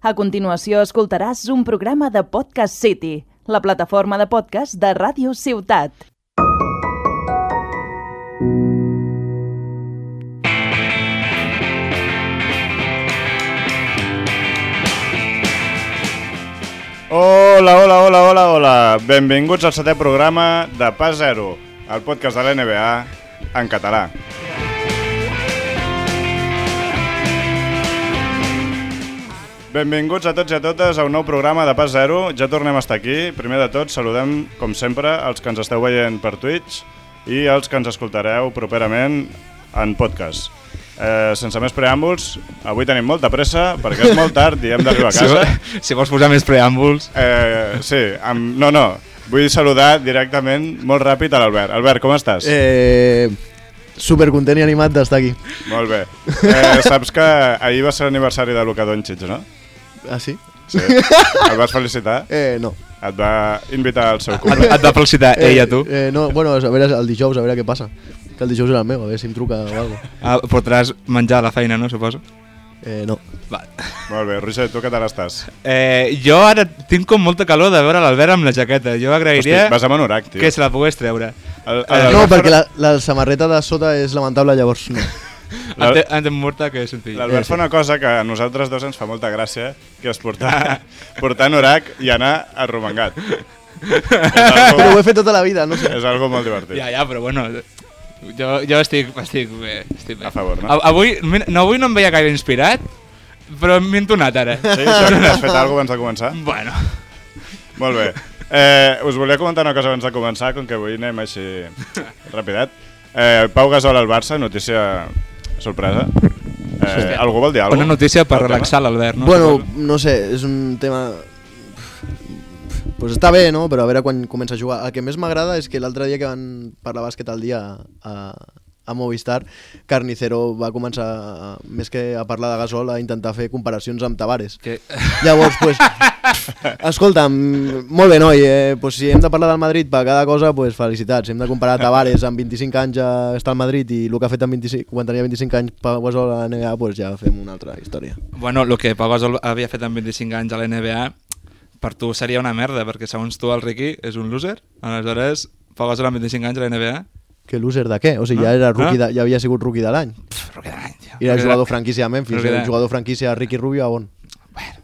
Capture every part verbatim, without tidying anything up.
A continuació escoltaràs un programa de Podcast City, la plataforma de podcast de Ràdio Ciutat. Hola, hola, hola, hola, hola. Benvinguts al setè programa de Pas Zero, el podcast de l'N B A en català. Benvinguts a tots i a totes a un nou programa de Pas Zero. Ja tornem a estar aquí. Primer de tot, saludem, com sempre, els que ens esteu veient per Twitch i els que ens escoltareu properament en podcast. Eh, sense més preàmbuls, avui tenim molta pressa perquè és molt tard i hem d'arribar a casa. Si, si vols posar més preàmbuls... Eh, sí, amb, no, no, vull saludar directament molt ràpid a l'Albert. Albert, com estàs? Eh, supercontent i animat d'estar aquí. Molt bé. Eh, saps que ahir va ser l'aniversari de Luka Doncic, no? Ah, sí? Sí. El vas felicitar? Eh, no. Et va invitar al seu Et, cumple? et va felicitar Eh, ell a tu? Eh, no, bueno, a veure el dijous, a veure què passa. Que el dijous era el meu, a veure si em truca o alguna cosa. Ah, portaràs menjar a la feina, no, suposo? Eh, no. Va. Molt bé, Roger, tu què tal estàs? Eh, jo ara tinc com molta calor de veure l'Albert amb la jaqueta. Jo agrairia Hosti, vas amb anorac, tio. que se la pogués treure. El, Eh, el, No, perquè la, la samarreta de sota és lamentable, llavors no. Ante, ante morta que és senzill. L'Albert fa una cosa que a nosaltres dos ens fa molta gràcia, que és portar, portar anorac i anar arromangat. És Però ho algo, he fet tota la vida, no sé. és algo molt divertit. Ja, ja, però bueno... Jo, jo estic, estic bé, estic bé. A favor, no? A, avui, no, avui no em veia gaire inspirat, però m'he entonat ara. Sí, això que has fet alguna cosa abans de començar? Bueno. Molt bé. Eh, us volia comentar una cosa abans de començar, com que avui anem així rapidet. Eh, Pau Gasol al Barça, notícia sorpresa. Eh, algú vol dir alguna cosa? Una notícia per relaxar l'Albert, no? Bueno, no sé, és un tema... Pues està bé, no? Però a veure quan comença a jugar. El que més m'agrada és que l'altre dia que van parlar bàsquet al dia a, a Movistar, Carnicero va començar, a, més que a parlar de Gasol, a intentar fer comparacions amb Tavares. Que... Llavors, pues, escolta'm, molt bé, noi, eh, pues, si hem de parlar del Madrid per cada cosa, pues, felicitats. Si hem de comparar Tavares amb vint-i-cinc anys a estar al Madrid i el que ha fet amb vint-i-cinc, quan tenia vint-i-cinc anys Pau Gasol a la N B A, pues, ja fem una altra història. Bueno, el que Pau Gasol havia fet amb vint-i-cinc anys a la N B A per tu seria una merda, perquè segons tu el Ricky és un loser. Aleshores, Pau Gasol amb vint-i-cinc anys a la N B A... Que loser de què? O sigui, No? ja, era rookie No? de, ja havia sigut rookie de l'any. Rookie de l'any, tio. I era Rookie jugador de- franquícia a Memphis, Rookie era de- jugador franquícia a Ricky Rubio a on? Bueno,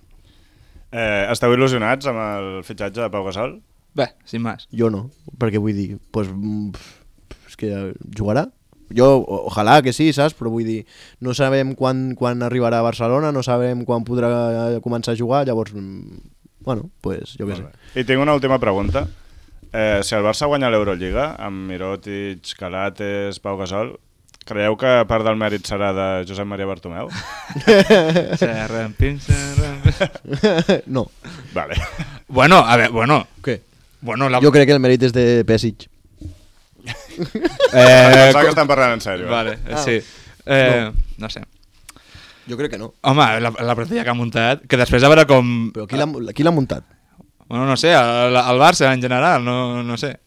Eh, esteu il·lusionats amb el fitxatge de Pau Gasol? bé, sin más. Jo no, perquè vull dir, pues, mm, és que jugarà. Jo, o- ojalà que sí, saps? Però vull dir, no sabem quan, quan arribarà a Barcelona, no sabem quan podrà començar a jugar, llavors, mm, bueno, pues jo què sé. I tinc una última pregunta. Eh, si el Barça guanya l'Eurolliga, amb Mirotic, Calates, Pau Gasol, creieu que part del mèrit serà de Josep Maria Bartomeu? Serra, pinça, serra... No. Vale. Bueno, a veure, bueno... Què? Bueno, la... Jo crec que el mèrit és de Pesic. Eh, Pensava que estan parlant en sèrio. Vale, Ah. sí. Eh, no. no sé. Jo crec que no. Home, la, la plantilla que ha muntat, que després a veure com... Però qui l'ha qui l'ha muntat? Bueno, no sé, el, el Barça en general, no, no sé.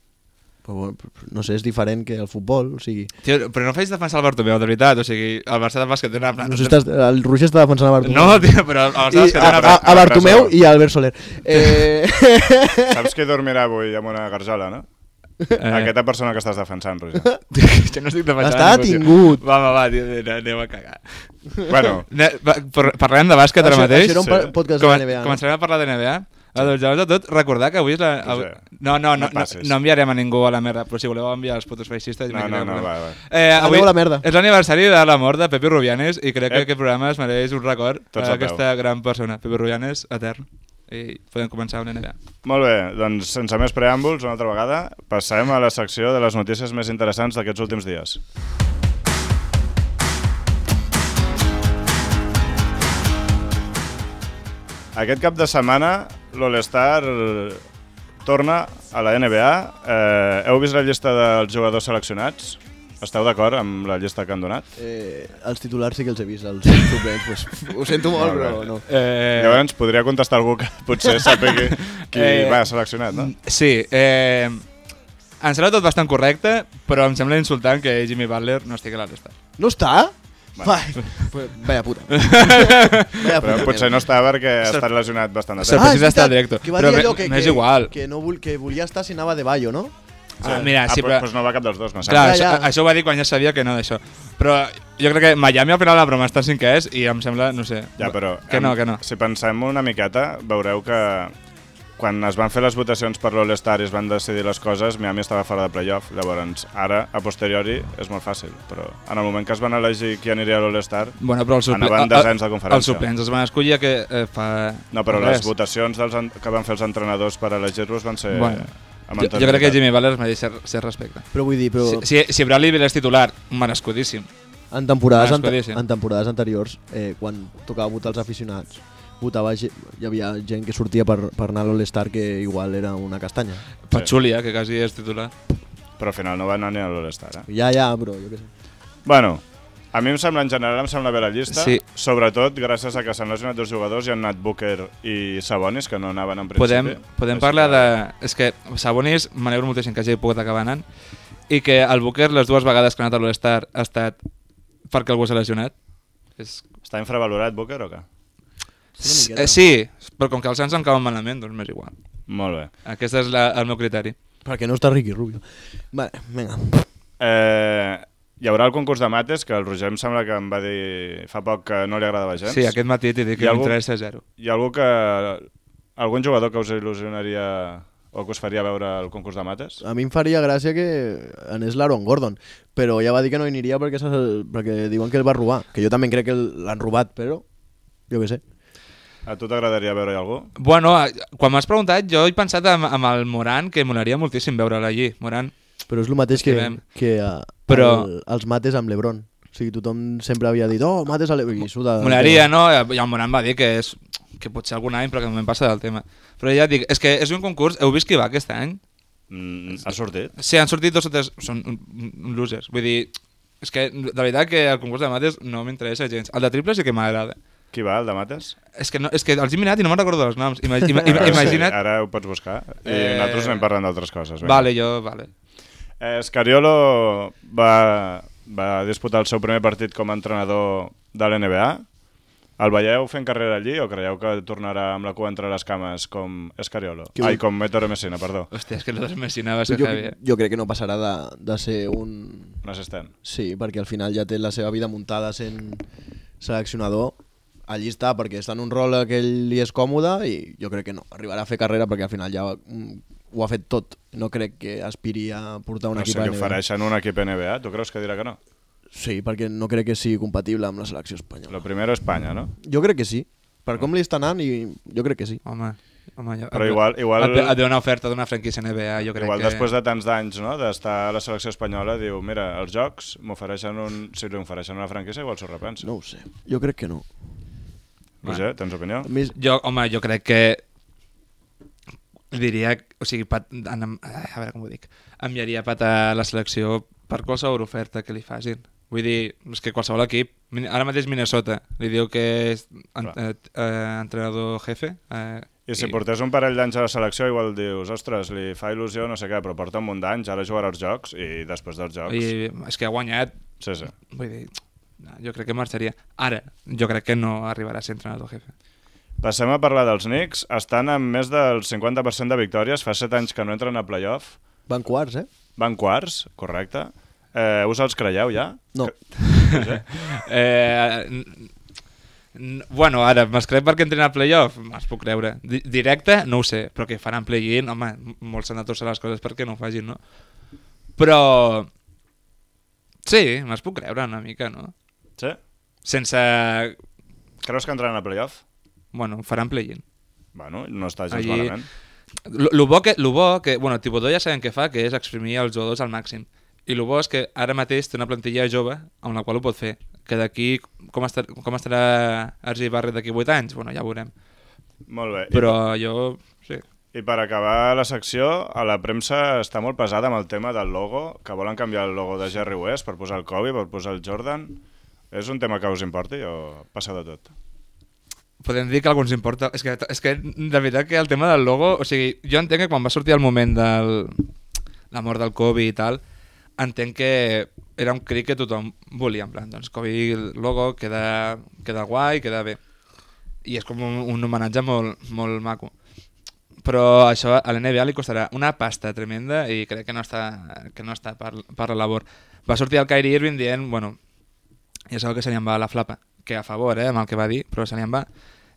Però, bueno, no sé, és diferent que el futbol, o sigui... Tio, però no faig defensar el Bartomeu, de veritat, o sigui, el Barça de bàsquet té una... No sé, estàs, el Roger està defensant a Bartomeu. No, tio, però el Barça de I, bàsquet té a, una... a, a Bartomeu i a Albert Soler. Eh... Saps qui dormirà avui amb una garjola, no? Eh. Aquesta persona que estàs defensant, Roger. Jo no estic defensant Està ningú, tio. tingut. Va, va, va, tio, anem a cagar. Bueno, Ne, va, par- parlem de bàsquet ara Això- mateix. això era un pa- podcast de Comen- la N B A, no? Començarem a parlar de N B A. Ah, doncs llavors de tot, recordar que avui és la... Roger, Avui... No, no, no, no no, passis. no enviarem a ningú a la merda, però si voleu enviar els putos feixistes... no, no, no, va, va. Eh, avui Aneu a la merda. és l'aniversari de la mort de Pepe Rubianes i crec que Eh. aquest programa es mereix un record Tots a a peu. aquesta gran persona. Pepe Rubianes, etern. I podem començar amb la N B A. Molt bé, doncs sense més preàmbuls, una altra vegada, passem a la secció de les notícies més interessants d'aquests últims dies. Aquest cap de setmana l'All-Star torna a la N B A. Eh, heu vist la llista dels jugadors seleccionats? Esteu d'acord amb la llista que han donat? Eh, els titulars sí que els he vist, els suplents, pues, ho sento molt, Molt bé. però no. Eh, Llavors podria contestar algú que potser sàpiga qui Eh, va seleccionat, no? Sí, eh, em sembla tot bastant correcte, però em sembla insultant que Jimmy Butler no estigui a l'All-Star. No està? Vai, pues, vaya puta. Vaya Però puta potser mierda. no està perquè ha estat lesionat bastant de Sor- temps. Ah, precisa estar directo. Que va Però dir me- allò que, m'és que, igual. que, no vol, que volia estar si anava de Bayo, no? Ah, mira, sí, ah, però... Doncs no va cap dels dos, no Clar, sembla. això, Ja, ja. això ho va dir quan ja sabia que no d'això. Però jo crec que Miami al final la broma està cinquè és i em sembla, no sé... Ja, però Que no, em- que no. Si pensem una miqueta, veureu que quan es van fer les votacions per l'All-Star i es van decidir les coses, Miami estava fora de playoff. Llavors, ara, a posteriori, és molt fàcil. Però en el moment que es van elegir qui aniria a l'All-Star, Bueno, però el suple... anaven desens de conferència. Els suplents els van escollir que eh, fa... No, però res. les votacions dels en- que van fer els entrenadors per elegir-los van ser... Bueno, amb Jo, jo crec que Jimmy Butler es mereix ser, ser respecte. Però vull dir, però Si, si, si Bradley Beal és titular, merescudíssim. en temporades, Ah, ante escoltíssim. en temporades anteriors, eh, quan tocava votar els aficionats, votava ge- hi havia gent que sortia per, per anar a l'All-Star que igual era una castanya. Pachulia, que quasi és titular. Però al final no va anar ni a l'All-Star, eh? Ja, ja, però jo què sé. Bueno, a mi em sembla, en general, em sembla bé la llista, Sí. sobretot gràcies a que s'han lesionat dos jugadors i han anat Booker i Sabonis, que no anaven en principi. Podem, podem Així parlar que- de... És que Sabonis, m'alegro moltíssim que hagi pogut acabar anant, i que el Booker, les dues vegades que ha anat a l'All-Star, ha estat perquè algú s'ha lesionat. És... Està infravalorat Booker o què? Sí, una miqueta. Eh, sí, però com que els Suns em cauen malament, doncs m'és igual. Molt bé. Aquest és la, el meu criteri. Perquè no està Ricky Rubio. Vale, vinga. Eh, hi haurà el concurs de mates, que el Roger em sembla que em va dir fa poc que no li agradava gens. Sí, aquest matí t'he dit Hi que ha algú- m'interessa zero. Hi ha algú que... algun jugador que us il·lusionaria o que us faria veure el concurs de mates? A mi em faria gràcia que anés l'Aaron Gordon, però ja va dir que no hi aniria perquè, s'ha- perquè diuen que el va robar, que jo també crec que el- l'han robat, però jo què sé. A tu t'agradaria veure-hi algú? Bueno, eh, quan m'has preguntat, jo he pensat amb, amb el Moran, que molaria moltíssim veure'l allí. Moran, Però és el mateix que, Estimem. que uh, Però- el, els mates amb l'Ebron. O sigui, tothom sempre havia dit, oh, mates a l'Ebron. I suda. molaria, no? I el Moran va dir que és que potser algun any, però que no me'n passa del tema. Però ja et dic, és que és un concurs... Heu vist qui va aquest any? Mm, ha sortit? Sí, han sortit dos o tres... Són un- un losers. Vull dir, és que de veritat que el concurs de mates no m'interessa gens. El de triple sí que m'agrada. Qui va, el de mates? És que, no, és que els he mirat i no me'n recordo dels noms. Ima, ima, ima, Però sí, imagina't... ara ho pots buscar. I Eh, nosaltres anem parlant d'altres coses. vinga. Vale, jo... Vale. Eh, Scariolo va, va disputar el seu primer partit com a entrenador de l'N B A. El veieu fent carrera allí o creieu que tornarà amb la cua entre les cames com Scariolo? Que Ai, vull- com Ettore Messina, perdó. Hòstia, és que l'Odres Messina va ser Jo, heavy. eh? jo crec que no passarà de, de ser un... Un assistent. Sí, perquè al final ja té la seva vida muntada sent seleccionador. Allí està, perquè està en un rol que ell li és còmode i jo crec que no. Arribarà a fer carrera perquè al final ja mm, ho ha fet tot. No crec que aspiri a portar un No equip sé, a li N B A. ofereixen un equip N B A. Tu creus que dirà que no? Sí, perquè no crec que sigui compatible amb la selecció espanyola. Lo primero Espanya, no? Jo crec que sí. Per com li està anant, i jo crec que sí. Home, home jo, Però igual- igual- Et, ve- et ve una oferta d'una franquícia N B A, jo crec Igual que... després de tants d'anys, no?, d'estar a la selecció espanyola, diu, mira, els jocs m'ofereixen un... Si li ofereixen una franquícia, igual s'ho repensa. No ho sé. Jo crec que no. Roger, tens opinió? A més, Jo, home, jo crec que diria, o sigui, pat, en, a veure com ho dic, enviaria Pat a la selecció per qualsevol oferta que li facin. Vull dir, és que qualsevol equip, Min- ara mateix Minnesota, li diu que és en, Clar. eh, eh, entrenador jefe. Eh, I si portés un parell d'anys a la selecció, igual dius, ostres, li fa il·lusió, no sé què, però porta un munt d'anys, ara jugarà els jocs, i després dels jocs... I és que ha guanyat, Sí, sí. vull dir, no, jo crec que marxaria. Ara, jo crec que no arribarà a ser entrenador jefe. Passem a parlar dels Knicks. Estan amb més del cinquanta per cent de victòries, fa set anys que no entren a playoff. van quarts, eh? Van quarts, correcte. Eh, us els creieu ja? No. Roger? Eh, n- n- bueno, ara, me'ls crec perquè entren a playoff? Me'ls puc creure. Di directe, no ho sé, però que faran play-in, home, m- molts s'han de torçar les coses perquè no ho facin, no? Però... Sí, me'ls puc creure una mica, no? Sí? Sense... Creus que entraran a playoff? Bueno, faran play-in. Bueno, no està gens Allí- malament. Lo, lo, bo que, lo bo que... Bueno, Thibodeau ja sabem què fa, que és exprimir els jugadors al màxim. I el bo és que ara mateix té una plantilla jove amb la qual ho pot fer. Que d'aquí... Com, estar, com estarà R J Barrett d'aquí vuit anys? Bueno, ja ho veurem. Molt bé. Però jo... Sí. I per acabar la secció, a la premsa està molt pesada amb el tema del logo, que volen canviar el logo de Jerry West per posar el Kobe, per posar el Jordan. És un tema que us importi o passa de tot? Podem dir que a alguns importa... És que, és que de veritat que el tema del logo... O sigui, jo entenc que quan va sortir el moment del... la mort del Kobe i tal, entenc que era un crit que tothom volia, en plan, doncs Kobe logo, queda, queda guai, queda bé. I és com un, un homenatge molt, molt maco. Però això a l'N B A li costarà una pasta tremenda i crec que no està, que no està per, per la labor. Va sortir el Kyrie Irving dient, bueno, ja sabeu que se li en va la flapa, que a favor, eh, amb el que va dir, però se li en va.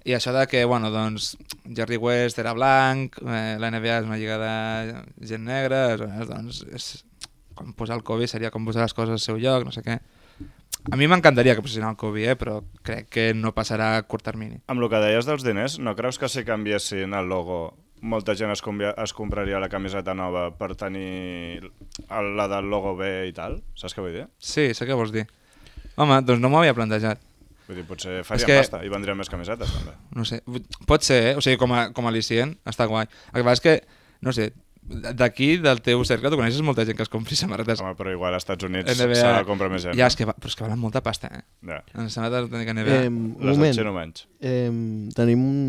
I això de que, bueno, doncs, Jerry West era blanc, eh, la N B A és una lliga de gent negra, doncs, és, com posar el Kobe seria com posar les coses al seu lloc, no sé què. A mi m'encantaria que posessin el Kobe, eh, però crec que no passarà a curt termini. Amb el que deies dels diners, no creus que si canviessin el logo molta gent es, es compraria la camiseta nova per tenir la del logo B i tal? Saps què vull dir? Sí, sé què vols dir. Home, doncs no m'ho havia plantejat. Vull dir, potser farien que... pasta i vendrien més camisetes, també. No sé, pot ser, eh? O sigui, com a, com a al·licient, està guai. El que passa és que, no sé, d'aquí, del teu cercle, tu coneixes molta gent que es compri samarretes. Home, però igual als Estats Units N B A... s'ha de comprar més gent. Ja, és que, va... però és que valen molta pasta, eh? Ja. En samarretes no tenen N B A. Eh, Les moment, etxen menys. eh, tenim un...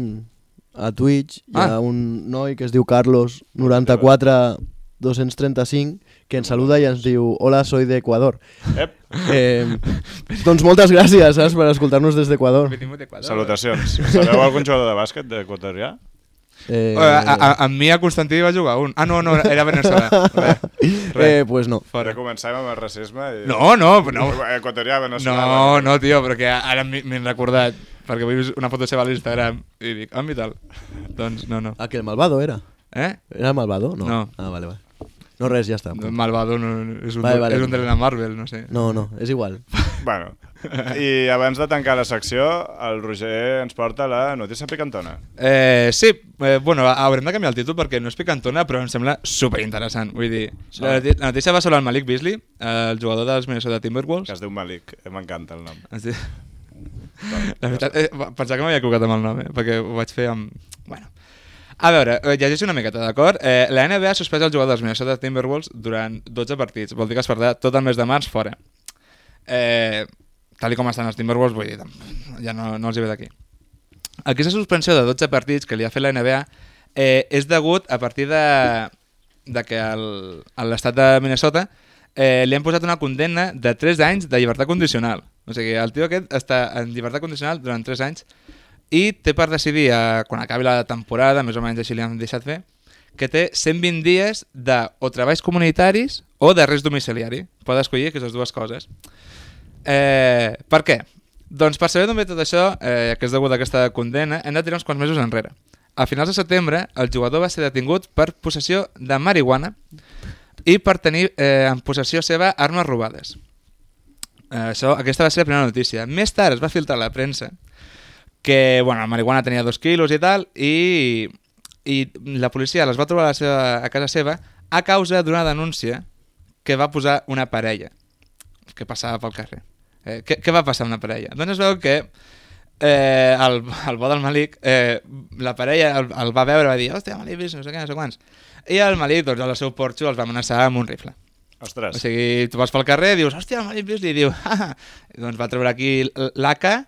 A Twitch hi ha Ah. un noi que es diu Carlos noranta-quatre dos-cents trenta-cinc que ens saluda i ens diu hola, soy de Ecuador. Ep, Eh, doncs moltes gràcies, saps, per escoltar-nos des d'Equador. salutacions. Sabeu algun jugador de bàsquet d'equatorià? Eh, A, a, a, amb mi a Constantí va jugar un. Ah, no, no, era Venezuela. Res, res. eh, pues no. Fora. Comencem amb el racisme. I... No, no, no. Equatorià, veneçolà. No, no, tio, però que ara m'he m'he recordat, perquè vull una foto seva a l'Instagram i dic, ah, i tal. Doncs no, no. Ah, que el malvado era. Eh? Era malvado? No. No. Ah, vale, vale. No, res, ja està. Malvado no, no, és un, Vale, vale. és un de la Marvel, no sé. No, no, és igual. Bueno, i abans de tancar la secció, el Roger ens porta la notícia picantona. Eh, sí, eh, bueno, haurem de canviar el títol perquè no és picantona, però em sembla superinteressant. Vull dir, la, noti- la notícia va sobre el Malik Beasley, eh, el jugador dels Minnesota Timberwolves. Que es diu Malik, eh, m'encanta el nom. Es diu... La veritat, eh, pensava que m'havia equivocat amb el nom, eh, perquè ho vaig fer amb... Bueno. A veure, eh, llegeixo una miqueta, d'acord? Eh, la N B A ha suspès el jugador dels Minnesota Timberwolves durant dotze partits. Vol dir que es perdrà tot el mes de març fora. Eh, tal i com estan els Timberwolves, vull dir, ja no, no els hi ve d'aquí. Aquesta suspensió de dotze partits que li ha fet la N B A eh, és degut a partir de, de que el- a l'estat de Minnesota eh, li han posat una condemna de tres anys de llibertat condicional. O sigui, el tio aquest està en llibertat condicional durant tres anys i té per decidir, eh, quan acabi la temporada, més o menys així li han deixat fer, que té cent vint dies de o treballs comunitaris o d'arrest domiciliari. Pot escollir aquestes dues coses. Eh, per què? Doncs per saber d'on ve tot això, eh, que és degut a aquesta condemna, hem de tirar uns quants mesos enrere. A finals de setembre, el jugador va ser detingut per possessió de marihuana i per tenir eh, en possessió seva armes robades. Eh, això, aquesta va ser la primera notícia. Més tard es va filtrar a la premsa que bueno, la marihuana tenia dos quilos i tal, i, i la policia les va trobar a, la seva, a casa seva a causa d'una denúncia que va posar una parella que passava pel carrer. Eh, què, què va passar amb una parella? Doncs es veu que eh, el, el bo del Malik, eh, la parella el, el va veure i va dir, hòstia, Malik, no sé què, no sé quants. I el Malik, doncs, al seu porxo els va amenaçar amb un rifle. Ostres. O sigui, tu vas pel carrer i dius, hòstia, el Malik Beasley, i diu, ah, i doncs va treure aquí l'A K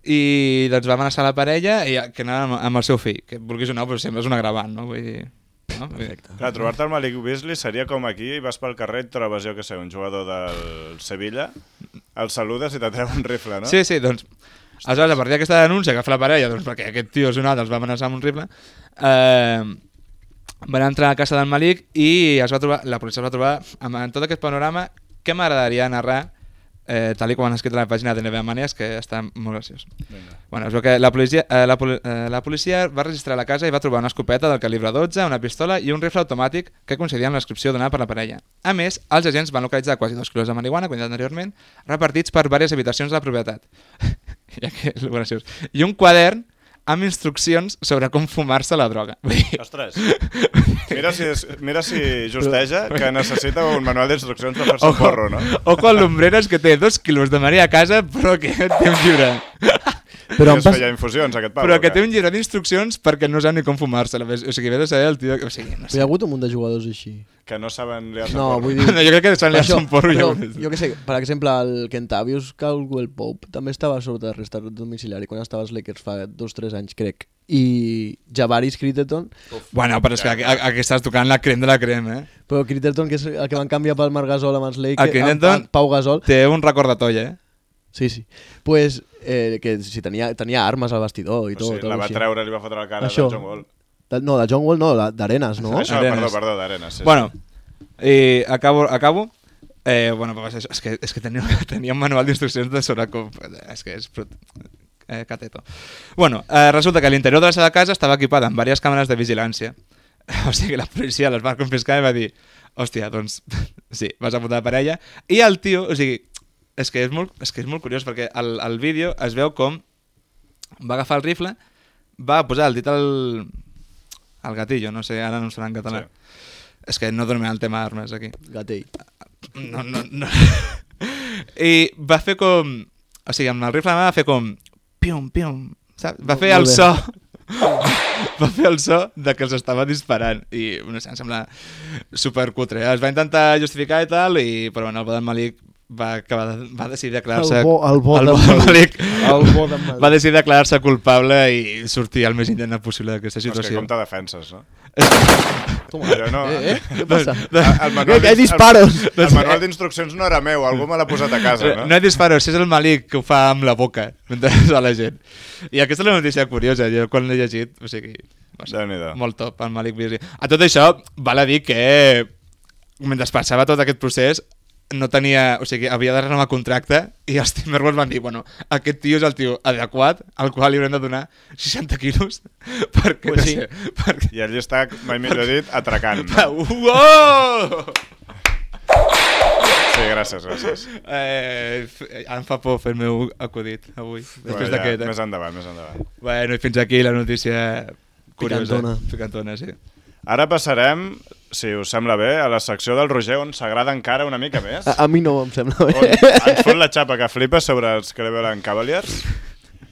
i doncs va amenaçar la parella i que anava amb, amb el seu fill, que vulguis o no, però sempre és un agravant, no? Vull dir... No? Clar, trobar-te el Malik Beasley seria com aquí, vas pel carrer i et trobes, jo que sé, un jugador del Sevilla, el saludes i t'atreu un rifle, no? Sí, sí, doncs... Aleshores, a partir d'aquesta denúncia que fa la parella, doncs perquè aquest tio és un altre, els va amenaçar amb un rifle, eh, van entrar a casa del Malik i es va trobar, la policia es va trobar amb, en tot aquest panorama que m'agradaria narrar eh, tal i com han escrit a la pàgina de N B A Manies, que està molt graciós. Vinga. Bueno, es veu que la policia, eh, la, poli, eh, la policia va registrar la casa i va trobar una escopeta del calibre dotze, una pistola i un rifle automàtic que coincidien amb la descripció donada per la parella. A més, els agents van localitzar quasi dos quilos de marihuana, com ja anteriorment, repartits per diverses habitacions de la propietat. Ja que és graciós. I un quadern amb instruccions sobre com fumar-se la droga. Ostres, mira si, és, mira si justeja que necessita un manual d'instruccions per fer-se un Ojo, porro, no? ojo al Lumbreras, que té dos quilos de Maria a casa, però que té un llibre. Però I em es pas... feia infusions, aquest pavo. Però que o què? té un llibre d'instruccions perquè no sap ni com fumar-se. O sigui, ve de saber el tio... O sigui, no Hi sé. ha hagut un munt de jugadors així. Que no saben liar-se No, porro. vull dir... No, jo crec que s'han liat Això, un porro i ja però, ho he vist. jo què sé, per exemple, el Kentavious Caldwell Pope també estava sota arrestat domiciliari quan estava als Lakers fa dos o tres anys, crec. i Javaris Critterton. Bueno, però és que aquí, aquí estàs tocant la crem de la crem, eh? Però Critterton, que és el que van canviar pel Marc Gasol amb els El Lakers, Critterton amb Pau Gasol. té un recordatori, eh? Sí, sí. Pues, eh, que si tenia, tenia armes al vestidor i O tot. sigui, tot la va així. treure, li va fotre la cara Això. de John Wall. De, no, de John Wall no, la- d'Arenas, no? Això, Arenas. perdó, perdó, d'Arenas. Sí, Bueno, i acabo, acabo. Eh, bueno, pues és, és que, és que tenia, tenia un manual d'instruccions de sobre com... És que és... Eh, cateto. Bueno, eh, resulta que l'interior de la seva casa estava equipada amb diverses càmeres de vigilància. O sigui, la policia les va confiscar i va dir hòstia, doncs sí, vas apuntar la parella. I el tio, o sigui, és que és molt, és que és molt curiós perquè al, al vídeo es veu com va agafar el rifle, va posar el dit al, al gatillo, no sé, ara no em sona en català. Sí. És que no donem el tema d'armes aquí. Gatell. No, no, no. I va fer com... O sigui, amb el rifle a la mà va fer com... Pium, pium, saps? Va fer el Molt bé. so... va fer el so de que els estava disparant. I, no sé, em sembla supercutre. Es va intentar justificar i tal, i, però bueno, el Bodan Malik va, acabar de, va decidir declarar-se... El bo- el bo el d'en Bodan Malik. Malik El bo d'en Malik. va decidir declarar-se culpable i sortir el més indignant possible d'aquesta És que situació. com te defenses, no? Toma. Allò no... Eh, eh? Què passa? El manual Que- que hay d'ins- disparos. El, el manual d'instruccions no era meu, algú me l'ha posat a casa, no? No hi disparos, és el Malik que ho fa amb la boca mentre a la gent. I aquesta és la notícia curiosa, jo quan l'he llegit, o sigui, no sé, Déu-n'hi-do. molt top, el Malik Beasley. A tot això, val a dir que mentre passava tot aquest procés no tenia, o sigui, havia de renovar contracte i els Timberwolves van dir, bueno, aquest tio és el tio adequat al qual li haurem de donar seixanta quilos perquè, Pues no sí. sé, perquè... I allí està, mai millor dit, atracant. No? Uau! Sí, gràcies, gràcies. Eh, f- em fa por fer el meu acudit avui, després Bueno, ja, d'aquest. més Eh? endavant, més endavant. Bueno, i fins aquí la notícia curiosa. Picantona. Picantona, sí. Ara passarem, si us sembla bé, a la secció del Roger on s'agrada encara una mica més. A, a mi no em sembla On bé. ens fot la xapa que flipa sobre els Cleveland Cavaliers,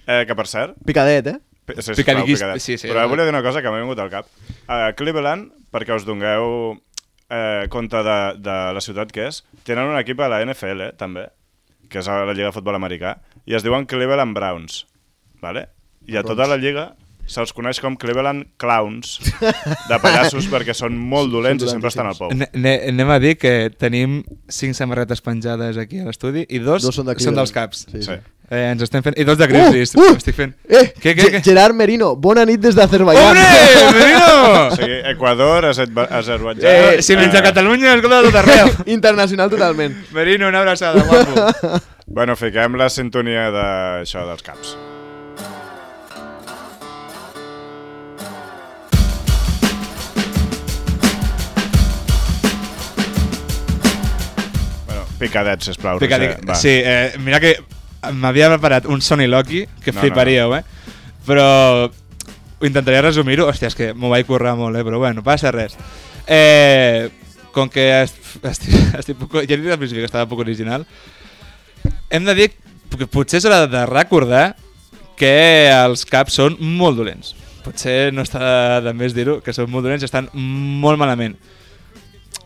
eh, que per cert... Picadet, eh? Pi- Sí, Picadiquis- sisplau, picadet. sí, sí, Però eh. volia dir una cosa que m'ha vingut al cap. A Cleveland, perquè us dongueu eh, compte de, de la ciutat que és, tenen un equip a la N F L, també, que és a la Lliga de Futbol Americà, i es diuen Cleveland Browns. Vale? I a tota la lliga se'ls coneix com Cleveland Clowns, de pallassos, perquè són molt dolents i sempre estan al pou. Ne- ne- Anem a dir que tenim cinc samarretes penjades aquí a l'estudi i dos, Dos són de són Cleveland. dels caps. Sí, sí. Sí. Eh, ens estem fent... I dos de Grizzlies. Uh, uh! Estic fent... Eh, Què, què, Ge- què? Gerard Merino, bona nit des d'Azerbaiyán. Hombre, Merino! O sigui, Equador, Azerba- Azerbaidjan... Eh, si menys a Catalunya, escolta tot arreu. Internacional totalment. Merino, una abraçada, guapo. Bueno, fiquem la sintonia d'això dels caps. Bueno, picadet, sisplau, Picadic. Roger. Va. Sí, eh, mira que m'havia preparat un Sony Loki, que No, fliparíeu, eh? Però ho intentaria resumir-ho. Hòstia, és que m'ho vaig currar molt, eh? Però bueno, no passa res. Eh, com que est- estic, estic poc, ja he dit al principi que estava poc original, hem de dir que potser s'haurà de recordar que els caps són molt dolents. Potser no està de més dir-ho, que són molt dolents i estan molt malament.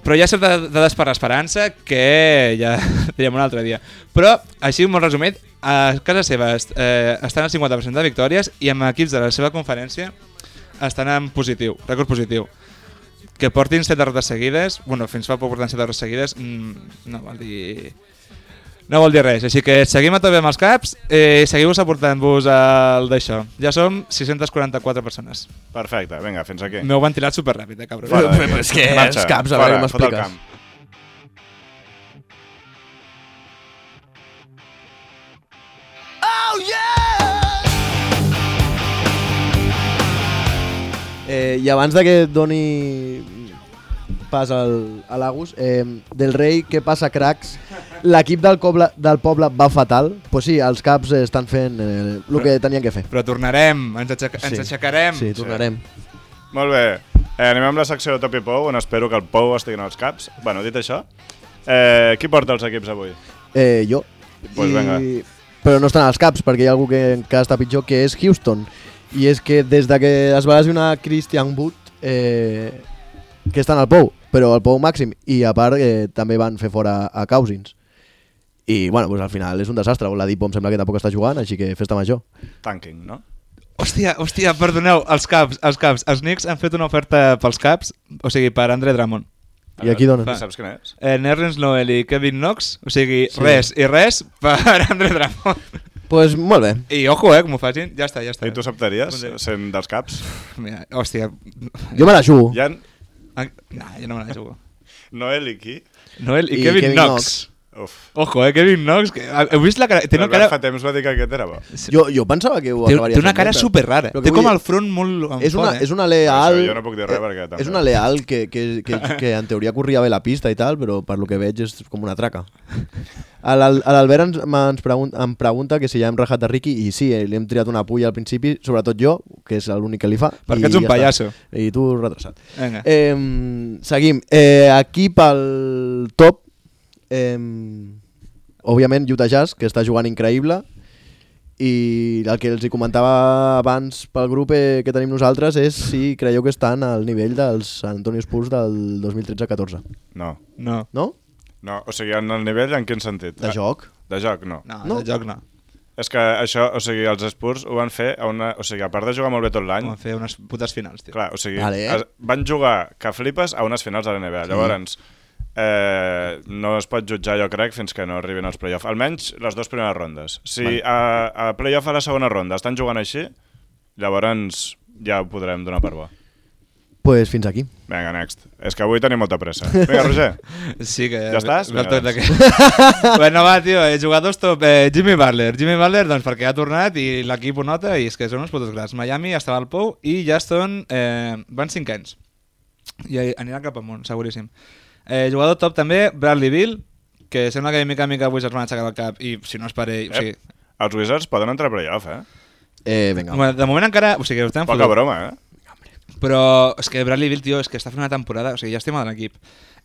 Però hi ha certes dades per l'esperança que ja direm un altre dia. Però, així molt resumit, a casa seva eh, estan al cinquanta per cent de victòries i amb equips de la seva conferència estan en positiu, rècord positiu. Que portin set derrotes seguides, bueno, fins fa poc portant set derrotes seguides, mmm, no vol dir... No vol dir res, així que seguim a tope amb els caps i eh, seguiu aportant-vos al d'això. Ja som sis-centes quaranta-quatre persones. Perfecte, vinga, fins aquí. M'heu ventilat superràpid, eh, cabrón. Fora d'aquí. Però és que Marxa, els caps, a fora, veure, fot el m'expliques. camp. Eh, I abans de que doni pas al, a l'Agus, eh, del rei, què passa, cracs? L'equip del, coble, del poble va fatal. Pues sí, els caps eh, estan fent eh, el que tenien que fer. Però tornarem, ens, aixec ens Sí. aixecarem. Sí, tornarem. Molt bé, eh, anem amb la secció de Top i Pou, on espero que el Pou estigui en els caps. Bueno, dit això, eh, qui porta els equips avui? Eh, jo. Pues venga. Però no estan als caps, perquè hi ha algú que encara està pitjor, que és Houston. I és que des de que es va lesionar Christian Wood, eh, que estan al Pou, però al Pou màxim, i a part eh, també van fer fora a Cousins. I bueno, pues al final és un desastre. L'Adipo em sembla que tampoc està jugant, així que festa major. Tanking, no? Hòstia, hòstia, perdoneu, els caps, els caps. Els Knicks han fet una oferta pels caps, o sigui, per Andre Drummond. I aquí donen. Fa... Saps quin és? Eh, Nerlens Noel i Kevin Knox, o sigui, sí. res i res per Andre Drummond. Pues molt bé. I ojo, eh, com ho facin, ja està, ja està. I tu acceptaries sent dels caps? Mira, hòstia. Jo me la jugo. Hi ha... No, jo no me la jugo. Noel i qui? Noel i, I Kevin, Kevin Knox. Knox. Uf. Ojo, eh, Kevin Knox. Que... Heu vist la cara? Té una cara... fa temps va dir que aquest era bo. Jo, jo pensava que ho té, acabaria té una fent, cara però- super rara. però Té que com vull el dir, front molt en És una, fort, eh? és una leal... Això jo no puc dir res perquè també. És una leal que, que, que, que en teoria corria bé la pista i tal, però per lo que veig és com una traca. A l'Al- a l'Albert ens, ens pregunta, em pregunta que si ja hem rajat a Ricky, i sí, eh, li hem triat una pulla al principi, sobretot jo, que és l'únic que li fa. Perquè i ets un ja pallasso. està. I tu retrasat. Vinga. Eh, seguim. Eh, aquí pel top, eh, òbviament Utah Jazz, que està jugant increïble, i el que els hi comentava abans pel grup eh, que tenim nosaltres és si creieu que estan al nivell dels San Antonio Spurs del dos mil tretze catorze. No. No. No? No, o sigui, en el nivell en quin sentit? De joc? De joc, no. No, No. de joc no. És que això, o sigui, els Spurs ho van fer a una... O sigui, a part de jugar molt bé tot l'any... Vam fer unes putes finals, tio. Clar, o sigui, Vale. es, van jugar que flipes a unes finals de la N B A. Llavors, eh, no es pot jutjar, jo crec, fins que no arribin als play-off. Almenys les dues primeres rondes. Si Vale. a, a play-off a la segona ronda estan jugant així, llavors ja ho podrem donar per bo. Pues fins aquí. Vinga, next. És que avui tenim molta pressa. Vinga, Roger. Sí que... Ja estàs? Ve el Vinga, toc d'aquest. Bueno, va, tio, eh, jugadors top. Eh, Jimmy Butler. Jimmy Butler, doncs, perquè ha tornat i l'equip ho nota i és que són uns putos grans. Miami estava al pou i ja són... Eh, van cinc anys. I aniran cap amunt, seguríssim. Eh, jugador top també, Bradley Beal, que sembla que mica a mica avui se'ls van aixecar el cap i si no és per ell... O sigui, Els Wizards poden entrar a play-off, eh? Eh, vinga. bueno, de moment encara... O sigui, ho estem Poca broma, eh? Però és que Bradley Beal, tio, és que està fent una temporada, o sigui, ja estem a l'equip.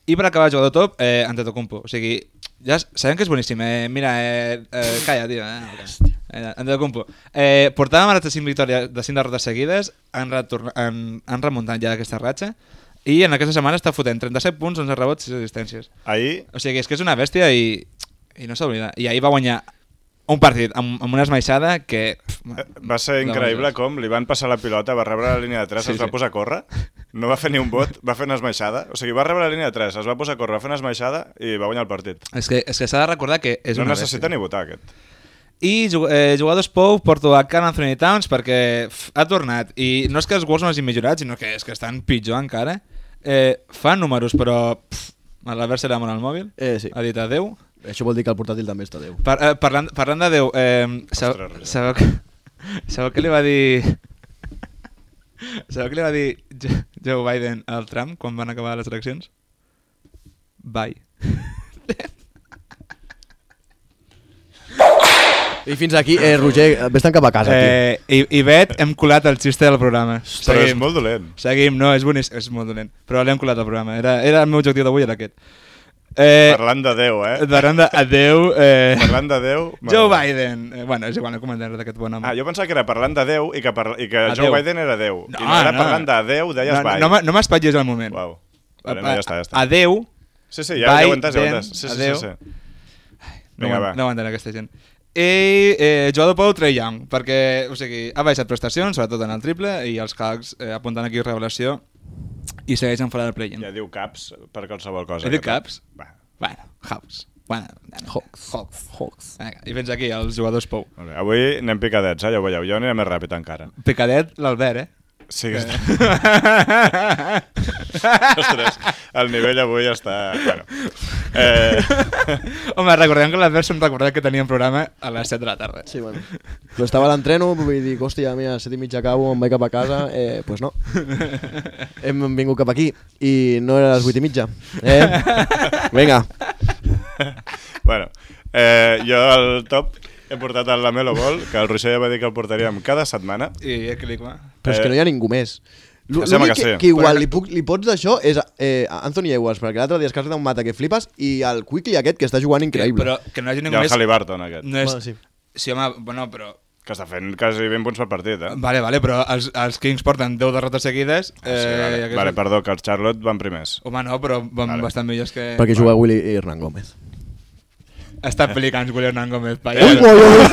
I per acabar el jugador top, eh, Antetokounmpo. O sigui, ja sabem que és boníssim. Eh, mira, eh, eh, calla, tio. Eh, eh, Antetokounmpo. Eh, portàvem ara cinc victòries de cinc derrotes seguides, han, retorn... han, han remuntat ja aquesta ratxa, i en aquesta setmana està fotent trenta-set punts, onze rebots, sis assistències. Ahir... O sigui, és que és una bèstia i, i no s'oblida. I ahir va guanyar un partit amb, amb una esmaixada que... Pff, Va ser increïble com li van passar la pilota, va rebre la línia de tres, Sí, es va sí. posar a córrer, no va fer ni un bot, va fer una esmaixada. O sigui, va rebre la línia de tres, es va posar a córrer, va fer una esmaixada i va guanyar el partit. és que és que s'ha de recordar que és No una necessita bèstia. ni votar, aquest. I jug- eh, jugadors Pou porto a Karl Anthony Towns perquè pff, ha tornat. I no és que els Wolves no hagin millorat, sinó que és que estan pitjor encara. Eh, fa números, però pff, l'Albert se l'ha al mòbil. Eh, sí. Ha dit adeu. Això vol dir que el portàtil també està Déu. Par eh, parlant, parlant de Déu, eh, sabeu, Ostres, sabeu, que, sabeu què li va dir... Sabeu què li va dir Jo- Joe Biden al Trump quan van acabar les eleccions? Bye. I fins aquí, eh, Roger, vés-te'n cap a casa, tio. Eh, i, I Bet, hem colat el xiste del programa. Però és molt dolent. Seguim, no, és boníssim, és molt dolent. Però l'hem colat al programa. Era, era el meu objectiu d'avui, era aquest. Eh, Parlant de Déu, eh? Parlant de adeu... Eh, Parlant de Déu... Joe Biden. Eh, bueno, és igual, no comentaré d'aquest bon home. Ah, jo pensava que era parlant de Déu i que, par... I que Adeu. Joe Biden era Déu. No, I no era no. parlant de Déu, deies no, bye. no, m'ha- no m'espatllis al moment. Uau. Vale, no, ja està, ja està. Adeu. Sí, sí, ja, ja ho he entès, ja ho he Biden, entès. Sí, sí, adeu. sí, sí. No, Vinga, no, va. no aguantaré aquesta gent. I eh, jugador Pou, Trae Young, perquè o sigui, ha baixat prestacions, sobretot en el triple, i els Hawks eh, apunten aquí revelació i segueixen fora del play-in. Ja diu caps per qualsevol cosa. He dit aquest. caps? Va, Bueno, Hawks. Bueno, Hawks. Hawks. Hawks. Vinga, i fins aquí els jugadors Pou. molt bé. Avui anem picadets, eh? Ja ho veieu. Jo aniré més ràpid encara. Picadet, l'Albert, eh? Sí que està... Ostres, el nivell avui està... Bueno. Eh... Home, recordem que l'Albert se'n recordat que teníem programa a les set de la tarda. Sí, bueno. Però estava a l'entreno, vull dir, hòstia, mira, a set i mitja acabo, em vaig cap a casa, eh, pues no. Hem vingut cap aquí i no era a les vuit i mitja. Eh? Vinga. bueno, eh, jo al top he portat el Lamelo Ball, que el Roger ja va dir que el portaríem cada setmana. I eh, clic, va. Però és que no hi ha ningú més. Que sembla L'únic que que, sí. que igual Però- li, puc, li pots d'això és eh, Anthony Edwards, perquè l'altre dia es casa d'un mata que flipes, i el Quickly aquest que està jugant increïble. Però que no hi hagi I ningú el més... Halliburton aquest, No és... Bueno, sí. Sí, home, bueno, però... que està fent quasi vint punts per partit, eh? Vale, vale, però els, els Kings porten deu derrotes seguides. Ah, sí, vale, i aquests- vale, perdó, que els Charlotte van primers. Home, no, però van Vale. bastant millors que... Perquè juga Willy Hernán Gómez. Està pelicant William Hernán Gómez. Ui, ui, ui.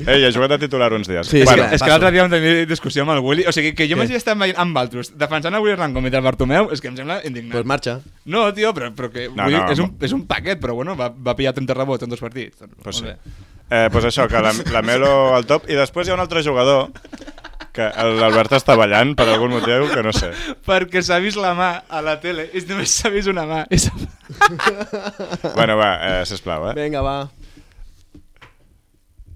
Ei, ha jugat de titular uns dies. Sí, bueno, és que l'altre dia vam tenir discussió amb el Willy. O sigui, que jo m'hagi estat veient amb altres defensant el Willy Rangon i el Bartomeu, és que em sembla indignant. Pues marxa. No, tio, però, però que No, Willy no, és, un, és un paquet, però bueno, va, va pillar trenta rebots en dos partits. Pues sí. Molt bé. Eh, pues això, que la, la Melo al top. I després hi ha un altre jugador que l'Albert està ballant per algun motiu que no sé. Perquè s'ha vist la mà a la tele i només s'ha vist una mà. I Bueno, va, eh, sisplau, eh? Vinga, va.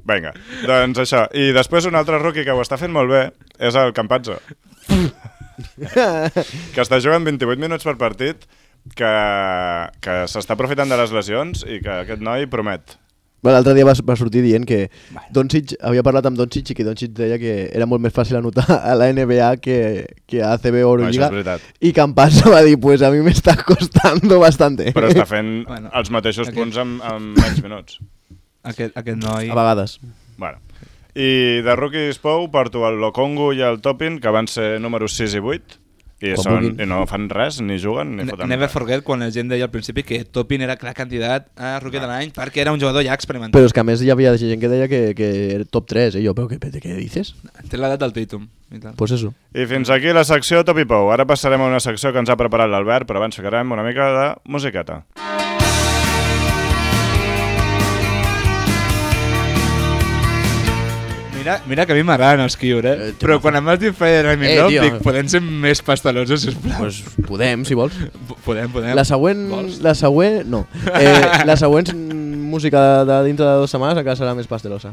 Vinga, doncs això. I després un altre rookie que ho està fent molt bé és el Campazzo. Que està jugant vint-i-vuit minuts per partit, que, que s'està aprofitant de les lesions i que aquest noi promet. Bueno, l'altre dia va, va sortir dient que Doncic, havia parlat amb Doncic i que Doncic deia que era molt més fàcil anotar a la N B A que, que a A C B o Euroliga. No, I Campazzo va dir, pues a mi m'està costando bastante. Però està fent Bueno, els mateixos aquest- punts amb, amb menys minuts. Aquest, aquest noi... A vegades. Bueno. I de rookies Pou porto el Lokongu i el Topin, que van ser números sis i vuit, i, Com són, vulguin. i no fan res, ni juguen, ni Ne- foten Never res. forget quan la gent deia al principi que Topin era clar candidat a rookie de l'any perquè era un jugador ja experimentat. Però és que a més hi havia gent que deia que, que era top tres, eh? Jo, però què, què dices? Té l'edat del Tatum. I tal. Pues eso. I fins aquí la secció Top i Pou. Ara passarem a una secció que ens ha preparat l'Albert, però abans ficarem una mica de musiqueta. Mira, mira que a mi m'agraden els Kiur, eh? Eh, Però quan em vas dir Fire Remy Eh, Love, tio. dic, podem ser més pastelosos, sisplau. Pues podem, si vols. P- Podem, podem. La següent... Vols? La següent... No. Eh, la següent música de, de dintre de dues setmanes encara serà més pastelosa.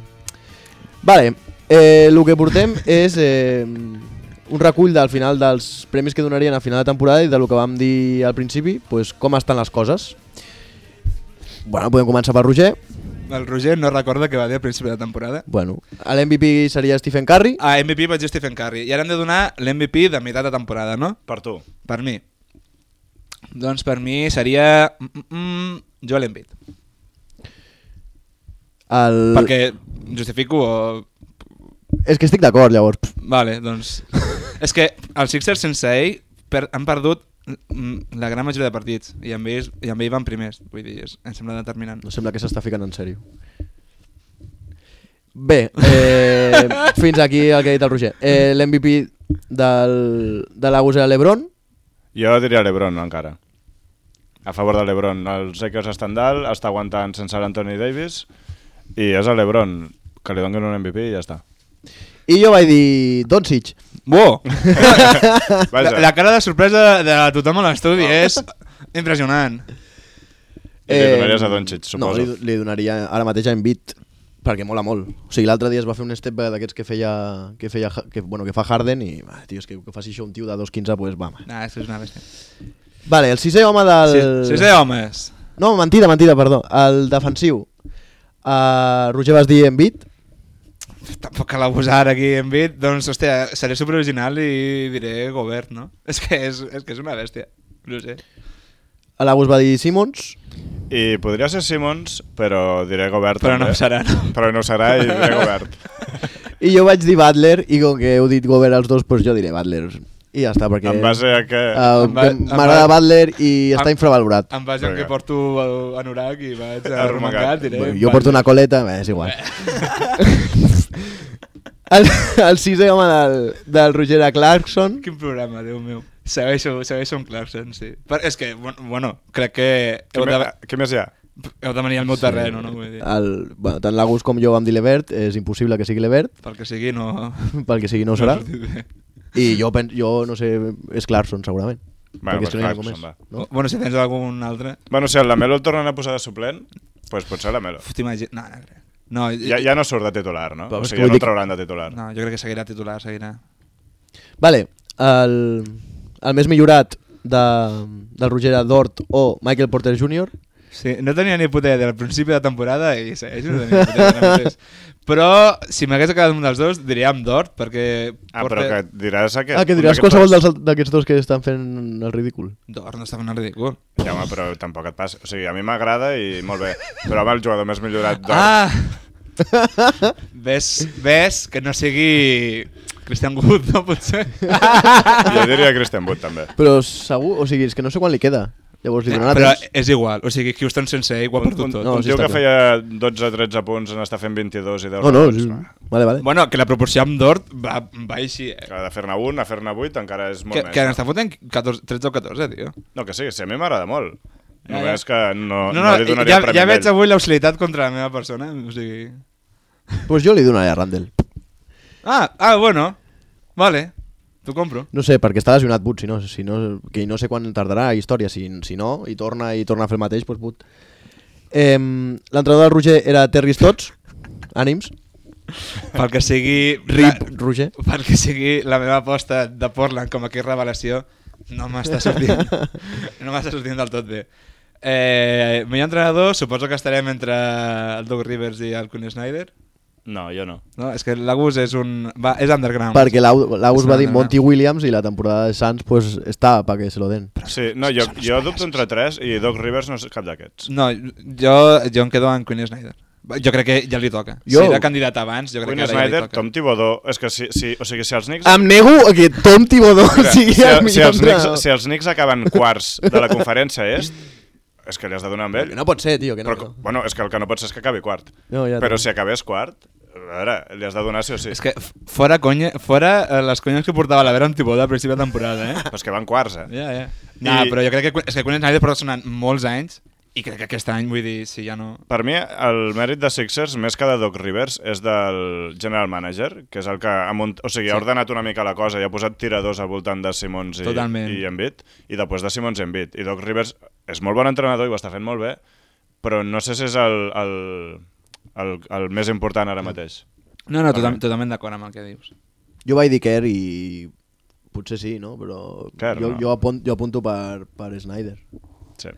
Vale. Eh, el que portem és eh, un recull del final dels premis que donarien a final de temporada i del que vam dir al principi, pues, com estan les coses. Bueno, podem començar per Roger. El Roger no recorda què va dir al principi de la temporada. Bueno, l'M V P seria Stephen Curry. A M V P vaig dir Stephen Curry. I ara hem de donar l'M V P de meitat de temporada, no? Per tu. Per mi. Doncs per mi seria... Mm, mm, Joel Embiid. El... Perquè justifico o... És que estic d'acord, llavors. Pff, Vale, doncs... És que els Sixers sense ell per... han perdut mm, la gran majoria de partits i amb ells, i amb ell van primers. Vull dir, és, em sembla determinant. No sembla que s'està ficant en sèrio. Bé, eh, fins aquí el que ha dit el Roger. Eh, L'M V P del, de l'Agus era l'Ebron. Jo diria l'Ebron encara. A favor de l'Ebron. Els Lakers estan dalt, està aguantant sense l'Anthony Davis i és a l'Ebron que li donin un M V P i ja està. I jo vaig dir Doncic. Wow! Vaja. la, la cara de sorpresa de tothom a l'estudi és impressionant. I li donaries a Doncic, No, suposo. li, li donaria ara mateix a Embiid perquè mola molt. O sigui, l'altre dia es va fer un step back d'aquests que feia, que feia que, bueno, que fa Harden i, va, tio, és que, que faci això un tio de dos quinze, pues va. Nah, és que és una bèstia. Vale, el sisè home del... Si, si sé homes. No, mentida, mentida, perdó. El defensiu. Uh, Roger vas dir Embiid. Tampoc cal abusar aquí en bit, doncs, hòstia, seré superoriginal i diré Gobert, no? És que és, és, que és una bèstia, no sé. L'Agus va dir Simmons. I podria ser Simmons, però diré Gobert Però també. no ho serà, no? Però no ho serà i diré Gobert. I jo vaig dir Butler i com que heu dit Gobert els dos, doncs jo diré Butler. I ja està, perquè En base a què... uh, En ba- en m'agrada ba- Butler i està en- infravalorat. Em vaig en Vinga. que porto anorac i vaig Arromangat. arromangat, diré... Bueno, jo porto una coleta, bé, és igual. el, el sisè home del, del Roger era Clarkson. Quin programa, Déu meu. Segueixo, segueixo amb Clarkson, sí. Per, és que, bueno, bueno, crec que Què, heu de, me, què més hi ha? heu de venir al meu terreno, no? Vull dir, El, bueno, tant l'Agus com jo vam dir Levert, és impossible que sigui Levert, pel que sigui no... pel que sigui no ho serà. no ha sortit bé. I jo, pen, jo no sé, és Clarkson segurament. Bueno, perquè és pues que no hi ha Clarkson, ningú va. més. No? Bueno, si tens algun altre... Bueno, si el Lamelo el tornen a posar de suplent, doncs pues potser Lamelo. Uf, t'imagines... No, no, crec. No, Ja, ja no surt de titular, no? Però O és sigui, que ja vull no dir el trauran de titular. no, jo crec que seguirà titular, seguirà. Vale, el, el més millorat de, del Roger era Dort o Michael Porter júnior Sí, no tenia ni puta idea al principi de temporada i segueix no tenia ni puta idea ara mateix. Però si m'hagués quedat un dels dos diria amb Dort perquè... Ah, però que diràs aquest... Ah, que un diràs d'aquests qualsevol dos. dels- d'aquests dos que estan fent el ridícul. Dort no està fent el ridícul. Ja, home, però tampoc et passa. O sigui, a mi m'agrada i molt bé. Però home, el jugador més millorat d'Or. Ah! ves, ves que no sigui Christian Wood, no pot ser? Jo diria Christian Wood, també. Però segur, o sigui, és que no sé quan li queda. Llavors li donarà Però temps. és igual, o sigui, Houston sense ell ho ha Un, perdut un, tot. No, un sí tio està que clar. feia dotze tretze punts en està fent vint-i-dos i deu No, no, rebots, sí. no. Vale, vale. Bueno, que la proporció amb Dort va, va així, eh? Que de fer-ne un a fer-ne vuit encara és molt Que, més. que no? n'està fotent catorze, tretze o catorze, tio. No, que sí, sí, a mi m'agrada molt. Ja, Només ja. que no, No, no, no, li donaria ja, el premi ja veig d'ell. avui l'hostilitat contra la meva persona, o sigui... Pues jo li donaré a Randall. Ah, ah, bueno, vale, t'ho compro. No sé, perquè està lesionat But, si no, si no, que no sé quan tardarà història, si, si no, i torna i torna a fer el mateix, doncs But. Eh, L'entrenador del Roger era Terry Stotts, ànims, Pel que sigui... Rip la- Roger. Pel que sigui la meva aposta de Portland com a que revelació, no m'està sortint, no m'està sortint del tot bé. Eh, millor entrenador, suposo que estarem entre el Doug Rivers i el Quinn Snyder. No, jo no. No, és que l'Agus és un... Va, és underground. Perquè l'Aus És va dir una- Monty Williams i la temporada de Suns pues, està para que se lo den. Sí, no, jo, jo dubto entre tres i Doc Rivers no és cap d'aquests. No, jo, jo em quedo amb Quinn Snyder. Jo crec que ja li toca. Jo- Si era candidat abans, jo crec Quinn que ara ja Snyder, li toca. Tom Thibodeau, és que si, si, o sigui, si els Knicks... Em nego a que Tom Thibodeau Mira, sigui si, el si, millor els Knicks, entrenador. si els Knicks acaben quarts de la conferència est, és que li has de donar amb ell. Que no pot ser, tio, que no. Però, no. bueno, és que el que no pot ser és que acabi quart. No, ja Però t'ho- si acabés quart, a veure, li has de donar sí o sí. És que f- fora, conya, fora eh, les conyes que portava la Vera amb Thibodeau a principi de temporada, eh? Però és que van quarts, eh? Ja, ja. No, I- però jo crec que, és que Quinn Snyder porta sonant molts anys i crec que aquest any, vull dir, si ja no... Per mi, el mèrit de Sixers, més que de Doc Rivers, és del general manager, que és el que ha, munt... o sigui, ha Sí. ordenat una mica la cosa i ha posat tiradors al voltant de Simons i, Totalment. i Embiid, i després de Simons i Embiid. I Doc Rivers és molt bon entrenador i ho està fent molt bé, però no sé si és el, el, el, el més important ara mateix. No, no, Per total, mi. totalment d'acord amb el que dius. Jo vaig dir Kerr i potser sí, no? Però Kerr, jo, no. jo, apunt, jo apunto per, per Snyder. Sí.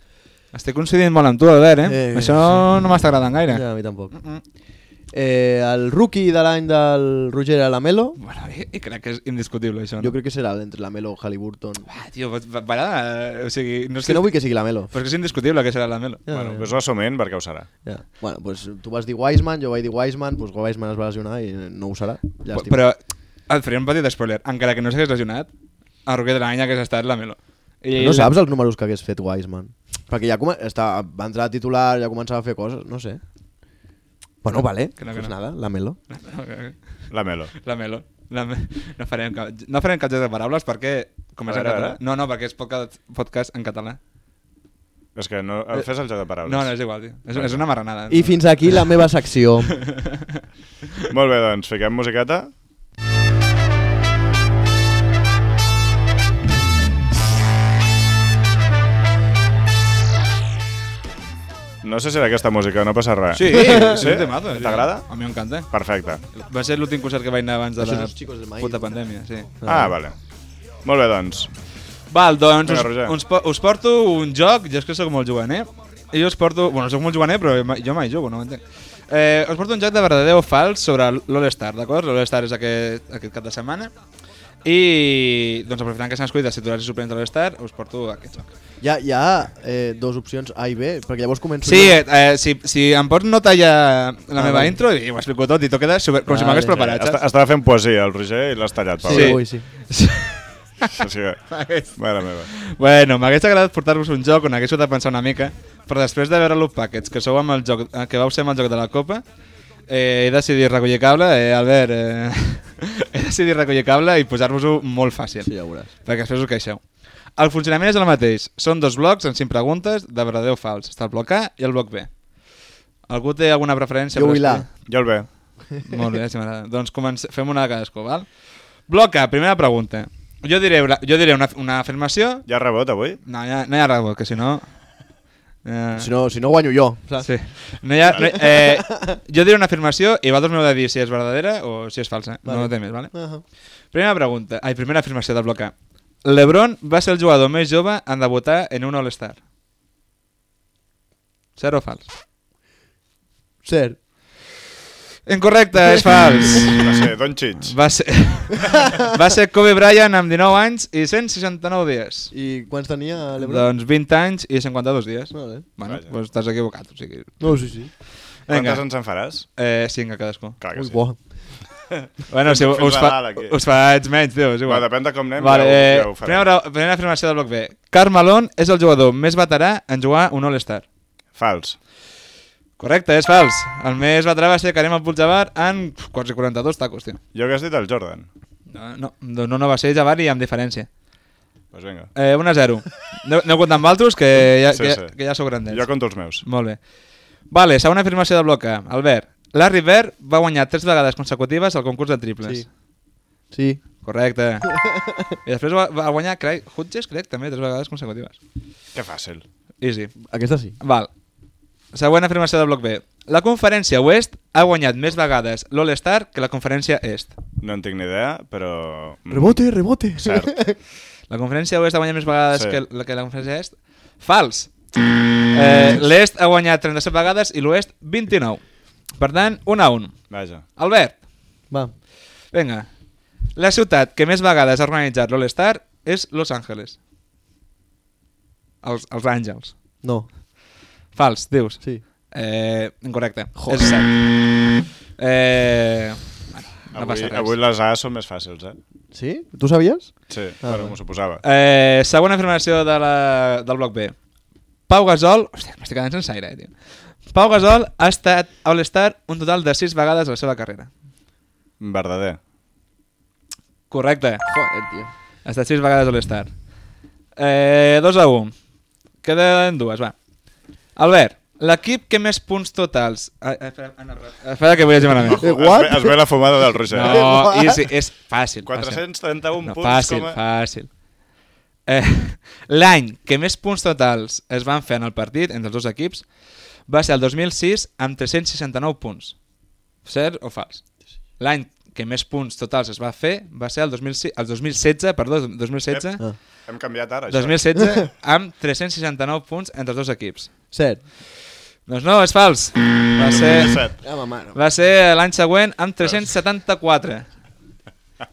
Estic coincidint molt amb tu, Albert, eh? Eh, Això sí. no m'està agradant gaire. Ja, a mi tampoc. Mm -mm. Eh, el rookie de l'any del Roger era Lamelo. Bueno, i, i crec que és indiscutible, això, no? Jo crec que serà entre Lamelo i Halliburton. Ah, tio, va, va, va, o sigui... No És que no vull que sigui Lamelo. Però és que és indiscutible que serà la Melo. Ja, bueno, ja. pues ho assumint perquè ho serà. Ja. Bueno, pues tu vas dir Wiseman, jo vaig dir Wiseman, pues Wiseman es va lesionar i no ho serà. Llàstima. Però et faré un petit spoiler. Encara que no s'hagués lesionat, el rookie de l'any hagués estat la Melo. I No saps els números que hagués fet Wiseman? Perquè ja come... està... va entrar a titular, ja començava a fer coses, no sé. Bueno, vale, Que no, que pues no. nada, Lamelo. La Melo. La Melo. La me... no, farem cap... no farem cap joc de paraules perquè... Com és A en veure, català? a veure. No, no, perquè és podcast, podcast en català. És que no... Fes el joc de paraules. No, no, és igual, tio. És, és una marranada. I fins aquí la meva secció. Molt bé, doncs, fiquem musiqueta. No sé si era aquesta música, no passa res. Sí, sí? un temazo, sí. T'agrada? A mi m'encanta. Perfecte. Va ser l'últim concert que vaig anar abans de Això la és els Chicos del Maíz. puta pandèmia, sí. Ah, vale. Molt bé, doncs. Val, doncs Vinga, us, Roger. us, po- us porto un joc, jo és que sóc molt juganer, i us porto... Bueno, sóc molt juganer, però ma- jo mai jugo, no ho entenc. Eh, us porto un joc de verdader o fals sobre l'All-Star, d'acord? L'All-Star és aquest, aquest cap de setmana. I, doncs, aprofitant que s'han escollit els titulars i suplents de l'All-Star, us porto aquest joc. Hi ha, hi ha eh, dos opcions A i B, perquè llavors començo... Sí, jo. eh, si, si em pots no tallar la Ah, meva vale. intro i ho explico tot i t'ho queda super, com si Vale. m'hagués preparat, Est saps? Estava fent poesia, el Roger, i l'has tallat, Pau. Sí, Sí. avui sí. O sigui, mare meva. Bueno, m'hagués agradat portar-vos un joc on haguéssiu de pensar una mica, però després de veure l'Up Packets, que sou amb el joc, eh, que vau ser amb el joc de la Copa, eh, he decidit recollir cable, eh, Albert, eh, he decidit recollir cable i posar-vos-ho molt fàcil, Sí, ja ho veuràs. perquè després us queixeu. El funcionament és el mateix, són dos blocs en cinc preguntes de verdader o fals. Està el bloc A i el bloc B. Algú té alguna preferència? Jo per vull l'A. escollir? Jo el bé. Molt bé, si m'agrada. Doncs comencem, fem una de cadascú, val? Bloc A, primera pregunta. Jo diré, una- jo diré una, una afirmació... Hi ha rebot avui? No, ja, no hi ha rebot, que si no... Eh, Si no, si no guanyo jo, saps? sí. no hi ha, no, eh, jo diré una afirmació i vosaltres m'heu de dir si és verdadera o si és falsa. Vale. No té més, vale? Uh -huh. Primera pregunta, ai, primera afirmació del bloc A. LeBron va ser el jugador més jove en debutar en un All-Star. Cert o fals? Cert. Incorrecte, és fals. Va ser Doncic. Va ser, va ser Kobe Bryant amb dinou anys i cent seixanta-nou dies. I quants tenia l'Ebron? Doncs vint anys i cinquanta-dos dies. Vale. Bueno, Vaja. doncs t'has equivocat. O sigui... No, sí, sí. Quantes Vinga, ens en faràs? eh, cinc a cadascú. Clar que Ui, sí. bo. Bueno, si Fins us, a fa, dalt, aquí. us faig menys, tio, és Bueno, igual. depèn de com anem, Vale, ja, ho, eh, ja ho farem. primera, primera afirmació del bloc B. Karl Malone és el jugador més veterà en jugar un All-Star. Fals. Correcte, és fals. El més veterà va ser Kareem Abdul-Jabbar en quasi quaranta-dos tacos, tio. Jo que has dit el Jordan. No, no, no, no va ser Jabbar i amb diferència. Doncs pues vinga. Eh, un a zero. Aneu, aneu comptant amb altres, que ja, Sí, que, sí. que ja sou grandets. Jo conto els meus. Molt bé. Vale, segona afirmació del bloc A. Albert, Larry Bird va guanyar tres vegades consecutives al concurs de triples. Sí. Sí. Correcte. I després va, va guanyar Craig Hodges, crec, també, tres vegades consecutives. Que fàcil. Easy. Aquesta sí. Val. Següent afirmació del bloc B. La conferència Oest ha guanyat més vegades l'All-Star que la conferència Est. No en tinc ni idea, però... mm, Rebote, rebote. Cert. La conferència Oest ha guanyat més vegades Sí. que, la, que la conferència Est. Fals. Eh, L'Est ha guanyat trenta-set vegades i l'Oest vint-i-nou. Per tant, un a un. Vaja. Albert, Va. vinga. La ciutat que més vegades ha organitzat l'All-Star és Los Angeles. Els, els Àngels. No. Fals, dius. Sí. Eh, incorrecte. Joder. És cert. Eh, bueno, no Avui, passa res. avui les A són més fàcils, eh? Sí? Tu sabies? Sí, Ah, però va. m'ho suposava. Eh, segona afirmació de la, del bloc B. Pau Gasol... Hòstia, m'estic quedant sense aire, eh, tio. Pau Gasol ha estat All-Star un total de sis vegades a la seva carrera. Verdader. Correcte. Joder, tio. Ha estat sis vegades All-Star. Eh, dos a un. Queden dues, va. Albert, l'equip que més punts totals... Ah, espera, ah, no, espera que vull llegir malament. Eh, Es what? ve, es ve la fumada del Roger. No, What? easy, és fàcil. quatre-cents trenta-un no, punts fàcil, com a... fàcil. Eh, L'any que més punts totals es van fer en el partit entre els dos equips va ser el dos mil sis amb tres-cents seixanta-nou punts. Cert o fals? L'any que més punts totals es va fer va ser el dos mil sis, el dos mil setze, perdó, dos mil setze, Ah. Hem canviat ara, això. dos mil setze amb tres-cents seixanta-nou punts entre els dos equips. Cert. Doncs no, és fals. Va ser, Set. Ja, ma mare. va ser l'any següent amb tres-cents setanta-quatre.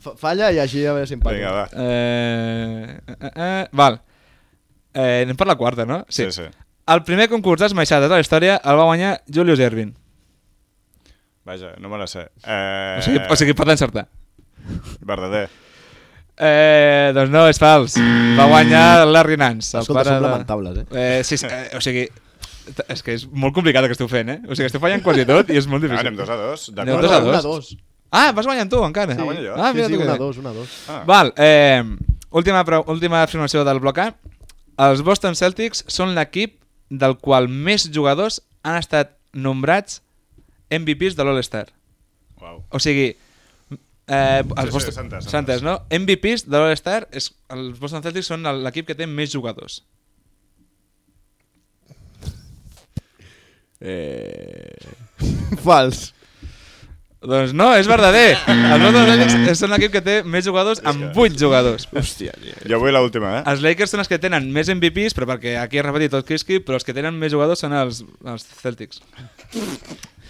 Fa- Falla i així ja ve simpàtic. Vinga, va. Eh, eh, eh, val. Eh, anem per la quarta, no? Sí, sí. El primer concurs d'esmaixades de la història el va guanyar Julius Erving. Vaja, no me la sé. Eh... O sigui, o sigui pot encertar. Verdader. Eh, doncs no, és fals. Va guanyar Larry Nance. El Escolta, pare són de... lamentables, eh? Eh, sí, sí, eh, o sigui... t- És que és molt complicat el que esteu fent, eh? O sigui, esteu fallant quasi tot i és molt Ah, difícil. anem dos a dos. Anem D'acord. dos a dos. Una, dos. Ah, vas guanyant tu, encara. Ah, guanyo jo. Ah, Sí, mira sí, tu que una, bé. dos, una, dos. Ah. Val, eh, última, pro- última afirmació del bloc A. Els Boston Celtics són l'equip del qual més jugadors han estat nombrats M V Ps de l'All-Star. Uau. O sigui, eh, els sí, Boston, s'ha entès, s'ha s'ha entès, no? M V Ps de l'All-Star, és- els Boston Celtics són el- l'equip que té més jugadors. Eh... Fals. Doncs no, és verdader. Els Boston Celtics són l'equip que té més jugadors amb vuit jugadors. Hòstia, tio. Jo vull l'última, eh? Els Lakers són els que tenen més M V Ps, però perquè aquí he repetit tot Kiski, però els que tenen més jugadors són els, els Celtics.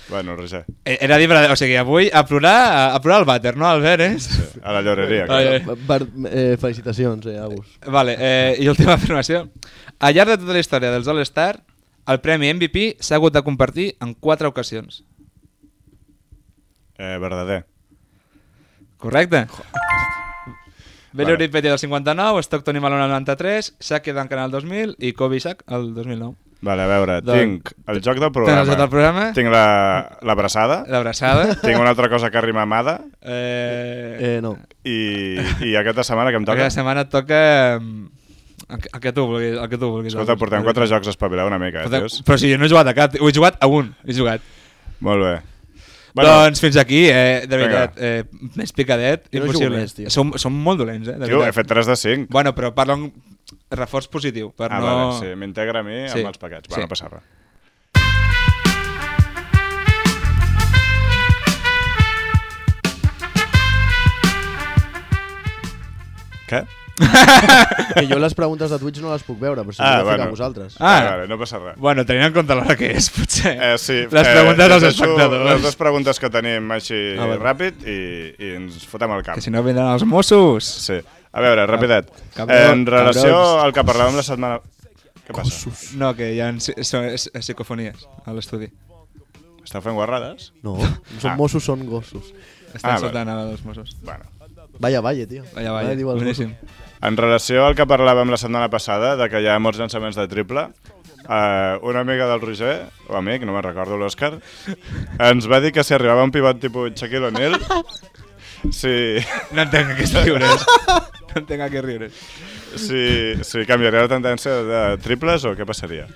Bueno, Roger. Eh, Era dir, o sigui, avui a plorar, a, a plorar el vàter, no, Albert, eh? Sí, a la lloreria. Ai, ai. clar. Per, eh, felicitacions, eh, Agus. Vale, eh, i última afirmació. Al llarg de tota la història dels All-Star, el premi M V P s'ha hagut de compartir en quatre ocasions. Eh, verdader. Correcte? Valerie Vale. Petty del cinquanta-nou, Stockton i Malone el noranta-tres, Shaq i Duncan el dos mil i Kobe i Shaq el dos mil nou. Vale, a veure, Doncs- tinc el joc del Tens programa. el joc del programa? Tinc la- l'abraçada. L'abraçada. Tinc una altra cosa que rima amada. Eh, Eh, no. I, I aquesta setmana que em toca... aquesta setmana et toca mm, el que, el que tu vulguis. El que tu vulguis Escolta, portem quatre jocs a espavilar una mica, eh, Portem- tios? Però si jo no he jugat a cap, ho he jugat a un. He jugat. Molt bé. Bueno, doncs fins aquí, eh, de Vinga. veritat, eh, més picadet, Jo no impossible. jugo més, tio. som, som molt dolents, eh, de Tio, he veritat. fet tres de cinc. Bueno, però parla un reforç positiu, per Ah, no... vale, sí, m'integra a mi Sí. amb els paquets. Va, Sí. no passa res. Què? Que jo les preguntes de Twitch no les puc veure, però si Ah, ah, bueno. bueno. a vosaltres. Ah. Vale, vale, no passa res. Bueno, tenint en compte l'hora que és, potser. Eh, sí, Les preguntes eh, dels llegeixo espectadors. Les dues preguntes que tenim així Ah, vale. ràpid i, i ens fotem al camp. Que si no vindran els Mossos. Sí. A veure, rapidet. Cabrons, En relació cabrons. al que parlàvem la setmana... Què passa? No, que hi ha psicofonies a l'estudi. Esteu fent guarrades? No, no són Ah. Mossos, són gossos. Estan Ah, soltant ara dels Mossos. Bueno. Vaya, vaya, tio. Vaya, vaya, diu els boníssim. En relació al que parlàvem la setmana passada, de que hi ha molts llançaments de triple, eh, una amiga del Roger, o amic, no me'n recordo, l'Òscar, ens va dir que si arribava un pivot tipus Shaquille O'Neal, si, No entenc a què riures. No entenc a què riures. si, si canviaria la tendència de triples o què passaria?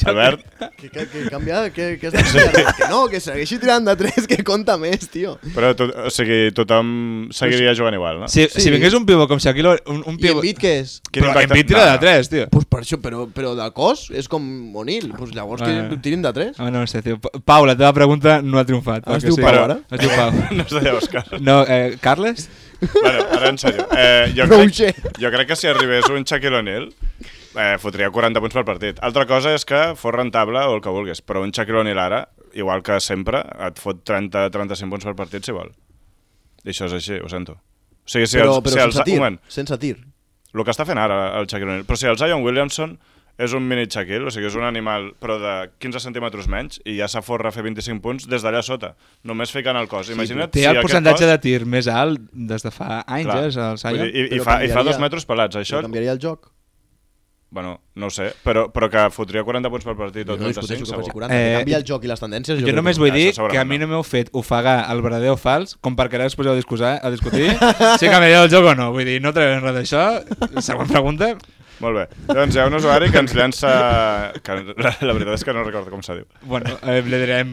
Albert? Que, que, que canvia, que, que, has de canviar. Que no, que segueixi tirant de tres, que compta més, tio. Però to, o sigui, tothom seguiria jugant igual, no? Si, Sí. si vingués un pivot com Shaquille, un, un I pivot... Embiid què és? Quin Però impacte- Embiid tira No, de no. tres, tio. Pues per això, però, però de cos és com O'Neal. Pues llavors que Bueno. tirin de tres. Ah, no sé, tio. Pa- Pau, la teva pregunta no ha triomfat. Ah, es perquè diu Pau, ara? Es diu Pau. No es deia Òscar. No, eh, Carles? Bueno, ara en sèrio. Eh, jo, Roger. crec, jo crec que si arribés un Shaquille O'Neal, eh, fotria quaranta punts per partit. Altra cosa és que fos rentable o el que vulguis, però un Shaquille O'Neal ara, igual que sempre, et fot trenta a trenta-cinc punts per partit si vol. I això és així, ho sento. O sigui, si Però, els, però si els, sense tir. un moment, Sense tir. el que està fent ara el Shaquille O'Neal, però si el Zion Williamson és un mini Shaquille, o sigui, és un animal però de quinze centímetres menys i ja s'aforra a fer vint-i-cinc punts des d'allà sota, només ficant el cos. Imagina't Té si el aquest percentatge cos... de tir més alt des de fa anys, Clar. eh, el Vull Zion. dir, i, i, Però fa, I fa canviaria- dos metres pelats, això... Això... Canviaria el joc. Bueno, no ho sé, però, però que fotria quaranta punts per partit o Jo no discuteixo trenta-cinc, que faci segur. quaranta. Eh, Que canvia el joc i les tendències. Jo crec només que vull Ah, dir això segurament que a mi no. no m'heu fet ofegar el verdader o fals com perquè ara us poseu a discutir, a discutir si canviaria el joc o no. Vull dir, no traiem res d'això. Següent pregunta. Molt bé. Doncs hi ha un usuari que ens llança... Que la, la veritat és que no recordo com se diu. Bueno, eh, li direm...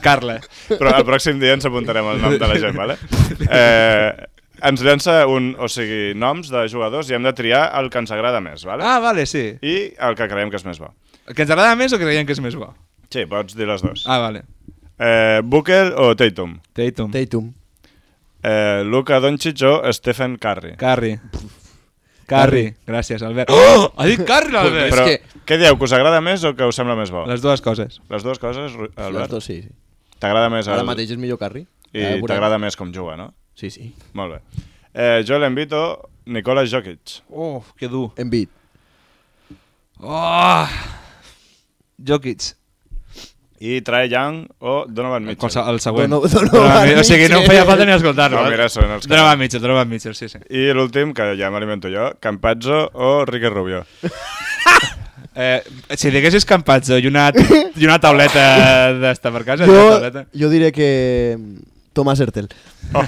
Carla. Però el pròxim dia ens apuntarem el nom de la gent, vale? Eh, ens llança un, o sigui, noms de jugadors i hem de triar el que ens agrada més, vale? Ah, vale, sí. I el que creiem que és més bo. Que ens agrada més o creiem que és més bo? Sí, pots dir les dues. Ah, vale. Eh, Booker o Tatum? Tatum. Tatum. Eh, Luka Doncic o Stephen Curry? Curry. Curry. Gràcies, Albert. Oh! Ha dit Curry, l'Albert! Però que- què dieu, que us agrada més o que us sembla més bo? Les dues coses. Les dues coses, Ru- Les Albert? dos, sí, sí. T'agrada més Ara el... mateix és millor Curry. I Ja veurem. t'agrada més com juga, no? Sí, sí. Molt bé. Eh, Joel Embiid o Nikola Jokic? Oh, que dur. Embiid. Oh! Jokic. I Trae Young o Donovan Mitchell? Qualse- El següent. Dono- Donovan Donovan Mitchell. O sigui, no em feia falta ni escoltar-lo. No, eh? mira, són els que- Donovan Mitchell, Donovan Mitchell, sí, sí. I l'últim, que ja m'alimento jo, Campazzo o Ricky Rubio? Eh, si diguessis Campazzo i una, i una tauleta d'esta per casa, Jo, una tauleta. jo diré que Thomas Hertel. Oh.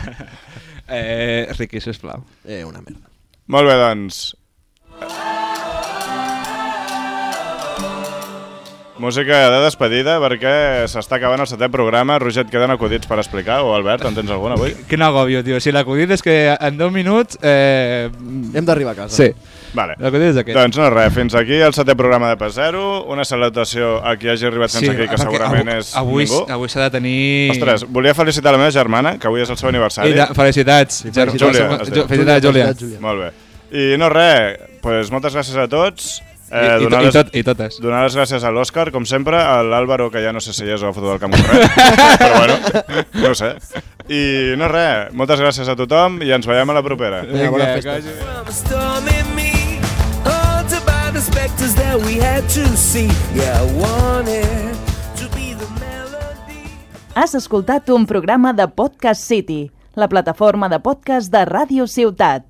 Eh, Riqui, sisplau. Eh, una merda. Molt bé, doncs. Música de despedida perquè s'està acabant el setè programa. Roger, et queden acudits per explicar? O Albert, en tens algun avui? Quin agòbio, tio. Si l'acudit és que en deu minuts... Eh... Hem d'arribar a casa. Sí, Vale. l'acudit és aquest. Doncs no res, fins aquí el setè programa de Pas Zero. Una salutació a qui hagi arribat fins aquí, que perquè segurament avui, és avui, ningú. Avui s'ha de tenir... Ostres, volia felicitar la meva germana, que avui és el seu aniversari. I de, felicitats. Sí, Ger- Júlia, Jo- es diu. Felicitats, Júlia. Júlia. Molt bé. I no res, pues moltes gràcies a tots. I, Eh, i, donar, i, les, tot, I totes. donar les gràcies a l'Òscar, com sempre, a l'Àlvaro, que ja no sé si és o foto del camp corrent, però bueno, no ho sé. I no res, moltes gràcies a tothom i ens veiem a la propera. Vinga, bona festa. que vagi bé. From a storm in me, haunted by the specters that we had to see. Yeah, I wanted to be the melody. Has escoltat un programa de Podcast City, la plataforma de podcast de Ràdio Ciutat.